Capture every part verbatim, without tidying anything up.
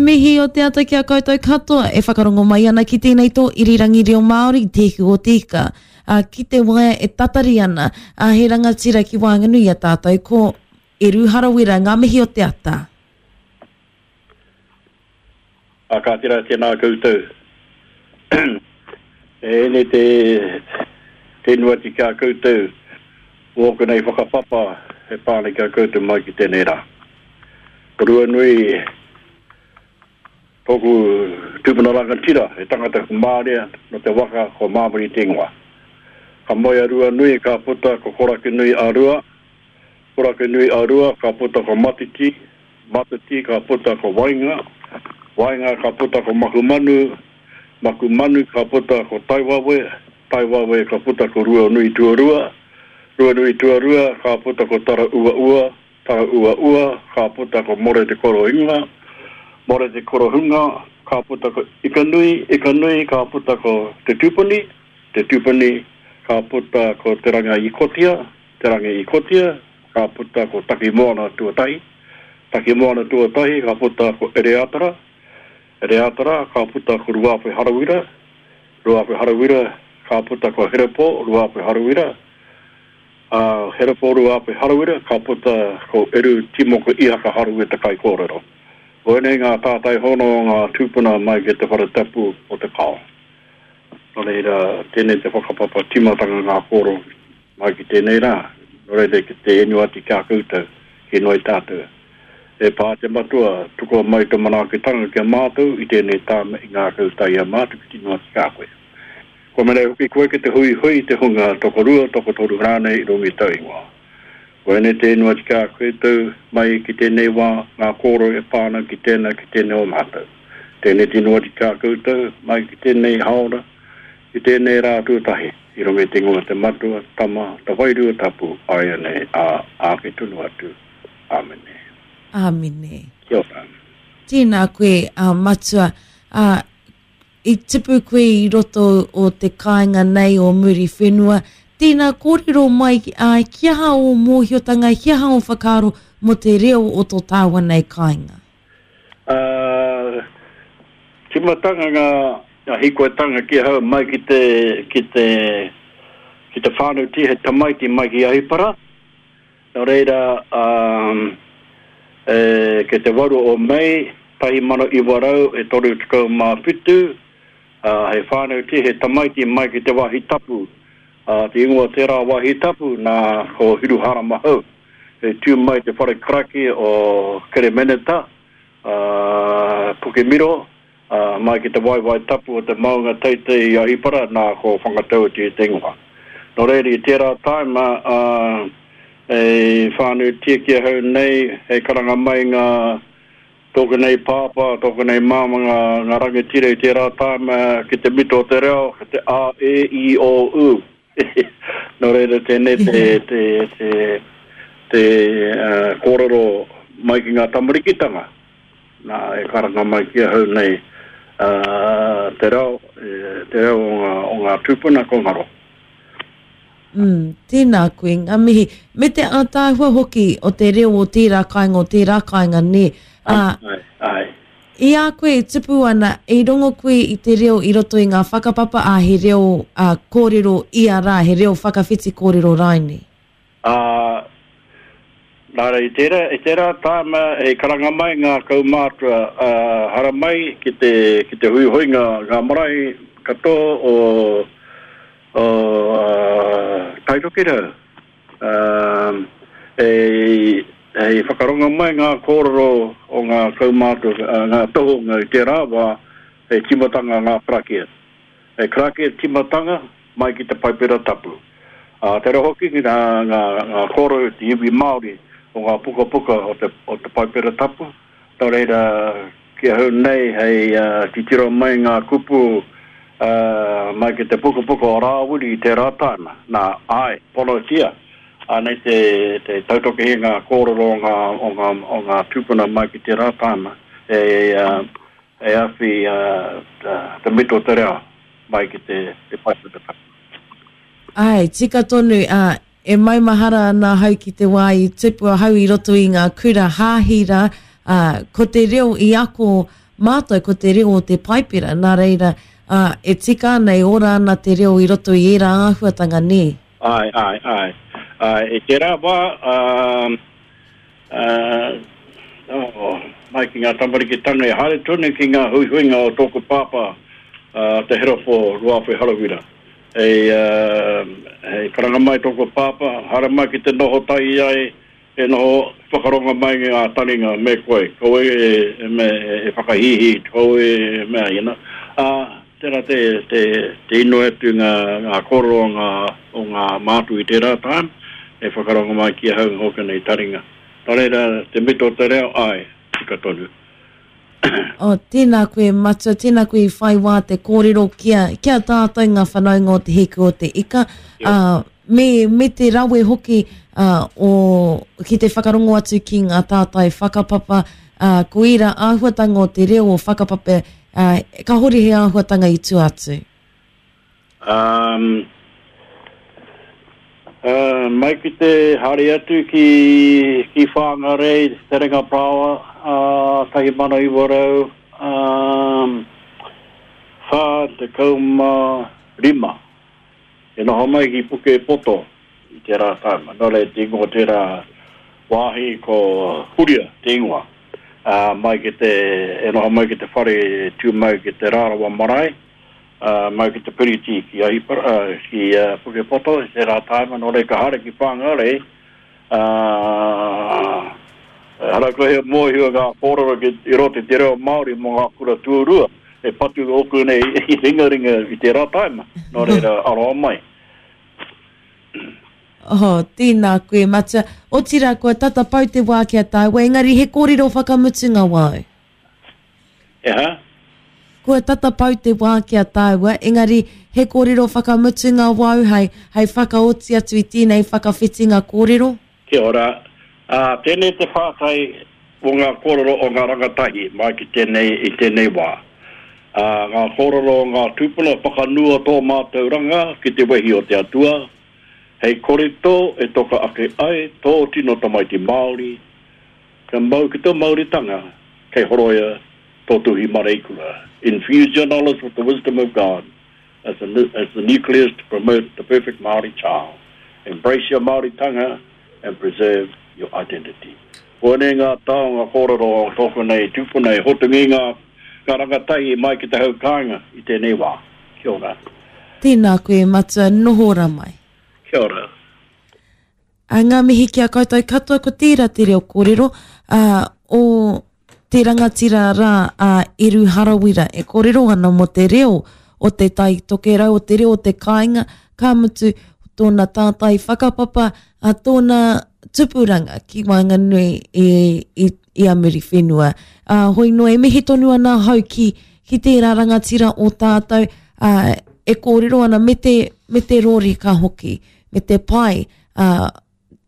mihi o te ata ki a koutou katoa e whakarongo mai ana ki tēnei tō irirangi reo Māori, Te Ihu o Te Ika. A, ki te waea e tatari ana, a, he rangatira ki waenganui i a tātou ko Eru Harawira, ngā mihi o te ata. A ka tira tēnā koutou. E ene te, te nuati ki a koutou, wōku nei whakapapa e pāne ki a koutou mai ki tēnei rā. Ko Ruanui, tōku tūpuna rangatira, he tangata kumārea, no te waka ko Māmari te ingoa. Ka moe a Ruanui, ka puta ko Korakinui a Rua, Korakinui a Rua, ka puta ko Matiti, Matiti ka puta ko Wainga, Wainga ka puta ko Makumanu, Makumanu ka puta ko Taiwawe, Taiwawe ka puta ko Ruanui Tuarua, Ruanui Tuarua ka puta ko Tara Ua Ua, Tara Ua Ua ka puta ko More Te Korohinga, More Te Korohunga ka puta ko Ikanui, Ikanui ka puta ko Te Tupani, Te Tupani ka puta ko Te Ranga Ikotia, Te Ranga Ikotia ka puta ko Takimoana Tuatahi, Takimoana Tuatahi ka puta ko Ereatara, Ereatara ka puta ko Ruape Harawira, Ruape Harawira ka puta ko Herepo, Ruape Harawira, uh, Herepo Ruape Harawira ka puta ko Eru Timoko Ihaka Harawira te kaikōrero. Ko ēnei ngā tātai hono o ngā tūpuna mai ki te whare tapu o te kao. Nō reira, tēnei te whakapapa timatanga ngā kōrero mai ki tēnei rā. Nō reira, ki te enu atu ki a koutou, ki noi tātou. E pā te matua, tukua mai tō manaakitanga ki a mātou i tēnei tāme i ngā koutou i a mātou ki tino atu ki a koe. Ko mene hoki koe ki te hui hui te hunga tokorua, tokotoru rānei i runga i tau ingoa. Ko ene te ingoa ki a koutou mai ki tēnei wā, ngā kōrero e pāna ki tēnā ki tēnei o mātou. Tēnei te ingoa ki a koutou mai ki tēnei haora, ki tēnei rā tuatahi, i runga i te ingoa te matua, tama, te wairua tapu, āianei, ā, āke tonu atu. Āmene. Āmene. Kia ora. Tēnā koe, uh, matua, uh, i tipu koe i roto o te kāinga nei o Muriwhenua. Tēnā kōrero mai, uh, ki aha o mōhiotanga, ki aha o whakaaro mō te reo o tō tāua nei kāinga? Uh, timatanga ngā, ngā hikoetanga ki ahau mai ki te, ki te, ki te whānau ti he tamaiti mai ki Ahipara. Nō reira, um, e, ke te waru o Mei, tahi mano iwa rau e toru tekau mā whitu, uh, he whānau ti he tamaiti mai ki te wāhi tapu. Uh, te ingoa tērā wāhi tapu nā ko Hiruharama Hou. E tū mai te whare karaki o Keremeneta, uh, Pukemiro, uh, mai ki te waiwai tapu o te maunga teitei i Ahipara, nā ko Whangatauti te ingoa. Nō reira, i tērā taima, uh, e whānau tia ki ahau nei, e karanga mai ngā tōku nei pāpā, tōku nei māma ngā, ngā rangatira i tērā taima ki te mito o te reo, ki te A, E, I, O, U. Nō reira tēnei te, te, te, te uh, kōrero mai ki ngā tamarikitanga. Nā, e karanga mai ki ahau nei uh, te reo, te reo o ngā, o ngā tūpuna ko ngaro. Mm, tēnā koe, ngā mihi. Me te ātaahua hoki o te reo o tērā kāinga, o tērā kāinga, nē. Uh, ai, ai. I a koe e tupu ana, i rongo koe i te reo i roto i ngā whakapapa, a he reo uh, kōrero ia rā, he reo whakawhiti kōrero raine? Uh, nā rā, i tērā, i tērā tāma e karanga mai ngā kaumātua uh, haramai ki te, ki te huihui ngā, ngā marae katoa o, o uh, Taitokerau. Uh, e, e whakaronga mai ngā kōrero o ngā kaumātua, uh, ngā tohunga i tērā wā e timatanga ngā karakia. E karakia timatanga mai ki te Paipera Tapu. Uh, te hoki ki ngā, ngā, ngā kōrero te iwi Māori o ngā pukapuka o te, o te Paipera Tapu. Nō reira, ki ahau nei hei uh, titiro mai ngā kupu uh, mai ki te pukapuka o Rāwiri i tērā tāna. Nā, ai, ponotia. Anei te, te tautokehi ngā kōrero o ngā, o ngā, o ngā tūpuna mai ki tērā tāna. E, uh, e awhi uh, te mito te reo mai ki te, te Paipera Tapu. Ai, tika tonu, uh, e maumahara ana ahau ki te wā i tupu ahau i roto i ngā kura hāhi rā, uh, ko te reo i ako mātou ko te reo o te Paipera, nā reira, ā, e tika ana, e ora ana te reo i roto i ērā āhuatanga, nē? Āe, āe, āe. Āe, i tērā wā, ā, ā, oh, mai ki ngā tamarikitanga e haere tonu ki ngā huihuinga o tōku pāpā, ā, Te Herefo Ruawhe Harawira. Hei, ā, hei karanga mai tōku pāpā, haere mai ki te noho tahi ai, e noho whakarongo mai ngā taringa me koe, kaua e, e, me, e whakahīhī, kaua e mea, you know. Ā, tērā te, te, te inoi atu ngā, ngā kōrero o ngā, o ngā mātu i tērā time, e whakarongo mai ki ahau ngōku nei taringa. Nō reira, te mito o te reo, āe, tika tonu. Oh, tēnā koe, Matua, tēnā koe i whai wā te kōrero ki a, ki a tātou ngā whanaunga o Te Hiku o Te Ika, ā, me, me te rawe hoki ā, o, ki te whakarongo atu ki ngā tātai whakapapa, ā, ko ērā āhuatanga o te reo o whakapapa, ā, kāhore he āhuatanga i tua atu. Um, uh, mai ki te haere atu ki, ki Whangarei, Te Renga Parāoa, uh, tahi mano iwa rau, um, whā tekau mā rima. E noho mai ki Pukepoto i tērā taima. Nō reira, te ingoa tērā wāhi ko Huria te ingoa. Uh, mai ki te, e noho mai ki te whare tū mai ki te Rarawa Marae, uh, mai ki te piriti ki Ahipara, uh, ki uh, Pukepoto i tērā taima. Nō reira, ka haere ki Whangarei, uh, hara koe he mōhio ngā kōrero ki i roto i te reo Māori mō ngā kura tuarua, e patu ōku nei i ringaringa i tērā taima. Nō reira, aroha mai. Oh, tēnā koe, Matua. Otirā, kua tata pau te wā ki a tāua, engari he kōrero whakamutunga wāu. E ha? Kua tata pau te wā ki a tāua, engari he kōrero whakamutunga wāu hei, hei whakaoti atu i tēnei whakawhitinga kōrero. Kia ora. Ā, tēnei te pātai o ngā kōrero o ngā rangatahi mai ki tēnei, i tēnei wā. Ā, ngā kōrero o ngā tūpuna whakanua tō mātauranga ki te wehi o te Atua, hei korito e toka ake ai tō tino tamaiti Māori, kia mau ki tō Māoritanga, kei horoia tō tuhi mareikura. Infuse your knowledge with the wisdom of God as the, as the nucleus to promote the perfect Māori child. Embrace your Māoritanga and preserve your identity. Koinei ngā taonga kōrero o tōku nei tūpuna e hotungi ngā, ngā rangatahi mai ki te hau kāinga i tēnei wā. Kia ora. Tēnā koe, Matua, noho ora mai. Kia ora. A ngā mihi ki a koutou katoa, ko tērā te reo kōrero, ā, o te rangatira rā a Eru Harawira e kōrero ana mō te reo o te Tai Tokerau, o te reo o te kāinga, ka mutu tōna tātai whakapapa, a tōna tupuranga ki waenganui i, i, i a Muriwhenua. Ā, hoi noa, e mihi tonu ana ahau ki, ki tērā rangatira o tātou, ā, e kōrero ana me te, me te rōreka hoki, me te pai, ā,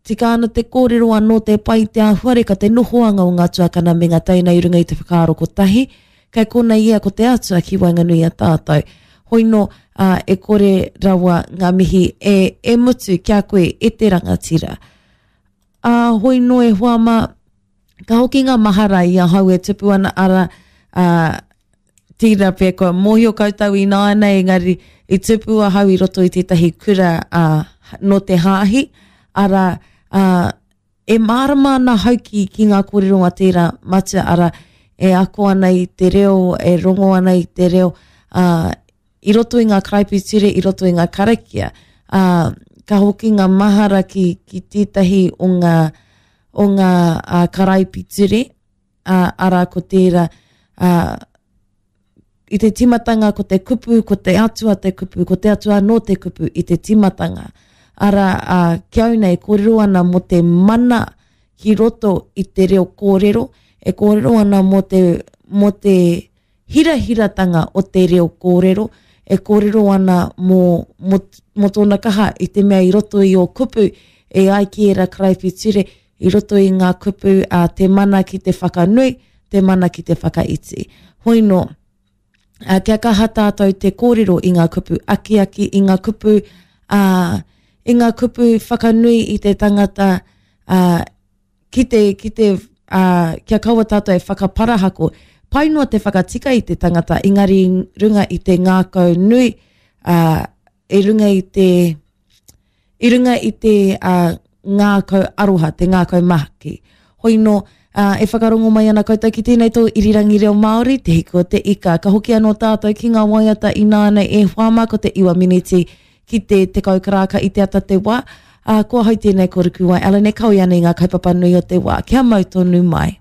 tika ana te kōrero anō te pai te āhuareka, te nohoanga o ngā tuakana me ngā teina i runga i te whakaaro kotahi, kei konei ia ko te Atua ki waenganui a tātou. Hoi nō, ā, e kore rawa ngā mihi e, e mutu ki a koe e te rangatira. Ā, hoi nō e hoa mā, ka hoki ngā mahara i ahau e tupu ana ara, ā, tērā pea kua mōhio koutou ināianei, engari i tupu ahau i roto i tētahi kura, ā, nō te hāhi, arā, ā, e mārama ana ahau ki, ki ngā kōrero a tērā matua, arā, e ako ana i te reo, e rongo ana i te reo, ā, i roto i ngā karaipiture, i roto i ngā karakia, ā, ka hoki ngā mahara ki, ki tētahi o ngā, o ngā ā, karaipiture, ā, arā ko tērā, ā, i te tīmatanga ko te kupu, ko te Atua te kupu, ko te Atua anō te kupu i te tīmatanga. Arā, ā, ki au nei, kōrero ana mō te mana ki roto i te reo kōrero, e kōrero ana mō te, mō te hirahiratanga o te reo kōrero, e kōrero ana mō, mō, mō tōna kaha i te mea i roto i ō kupu, e ai ki ērā karaipiture, i roto i ngā kupu, ā, te mana ki te whakanui, te mana ki te whakaiti. Hoi nō, ā, kia kaha tātou te kōrero i ngā kupu akiaki, i ngā kupu, ā, i ngā kupu whakanui i te tangata, ā, ki te, ki te, ā, kia kaua tātou e whakaparahako, pai noa te whakatika i te tangata, engari runga i te ngākau nui, uh, i runga i te, i runga i te uh, ngākau aroha, te ngākau mahaki. Hoi no, uh, e whakarongo mai ana koutou ki tēnei tō irirangi reo Māori, te hiku o te ika. Ka hoki anō tātou ki ngā waiata inānei e whāma ko te iwa miniti ki te tekau karaka i te ata te wā. Uh, ko ahau tēnei ko Rukuwai Allen e kawe ana i ngā kaupapa nui o te wā. Kia mau tonu mai.